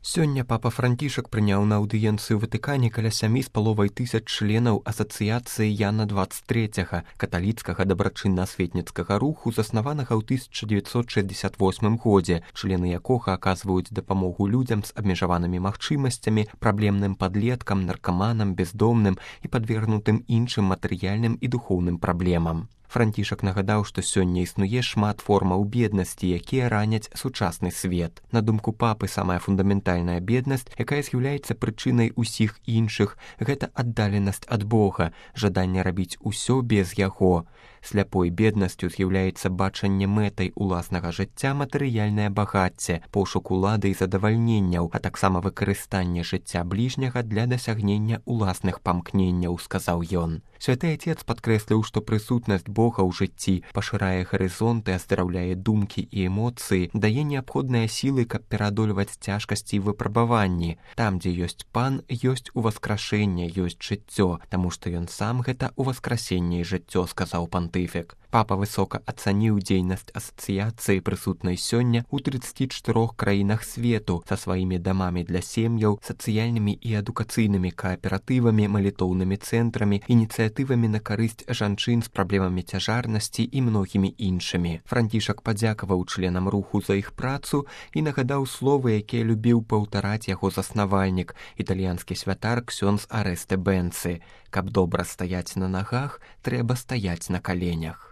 Сёння папа Францішак прыняў на аўдыенцыю ў Ватыкане каля 7,5 членаў асацыяцыі Яна 23, каталіцкага дабрачынна-асветніцкага руху, заснаванага ў 1968 годзе, члены якога аказваюць дапамогу людзям з абмежаванымі магчымасцямі, праблемным падлеткам, наркаманам, бездомным і падвергнутым іншым матэрыяльным і духоўным праблемам. Францішак нагадаў, што сёння існуе шмат формаў беднасці, якія раняць сучасны свет. На думку папы, самая фундаментальная беднасць, якая з'яўляецца прычынай усіх іншых, гэта аддаленасць ад Бога, жаданне рабіць усё без яго. Сляпой беднасцю з'яўляецца бачанне мэтай уласнага жыцця матэрыяльнае багацце, пошук улады і задавальненняў, а таксама выкарыстанне жыцця бліжняга для дасягнення уласных памкненняў, сказаў ён. Святы Отец падкрэсліў, што прысутнасць Бога ў жыцці пашырае гарызонты, аздараўляе думкі і эмоцыі, дае неабходныя сілы, каб пераадольваць цяжкасці і выпрабаванні. Там, дзе ёсць Пан, ёсць уваскрашэнне, ёсць жыццё, таму што ён сам гэта уваскрасенне і жыццё, сказаў пантыфік. Папа высока ацаніў дзейнасць асацыяцыі, прысутнай сёння ў 34 краінах свету, са сваімі дамамі для сем'яў, сацыяльнымі і адукацыйнымі кааператывамі, малітоўнымі цэнтрамі, ініцыятывамі на карысць жанчын з праблемамі цяжарнасці і многімі іншымі. Францішак падзякаваў членам руху за іх працу і нагадаў словы, якія любіў паўтараць яго заснавальнік, італьянскі святар ксёндз Арэсте Бенцы: «Каб добра стаяць на нагах, трэба стаяць на каленях».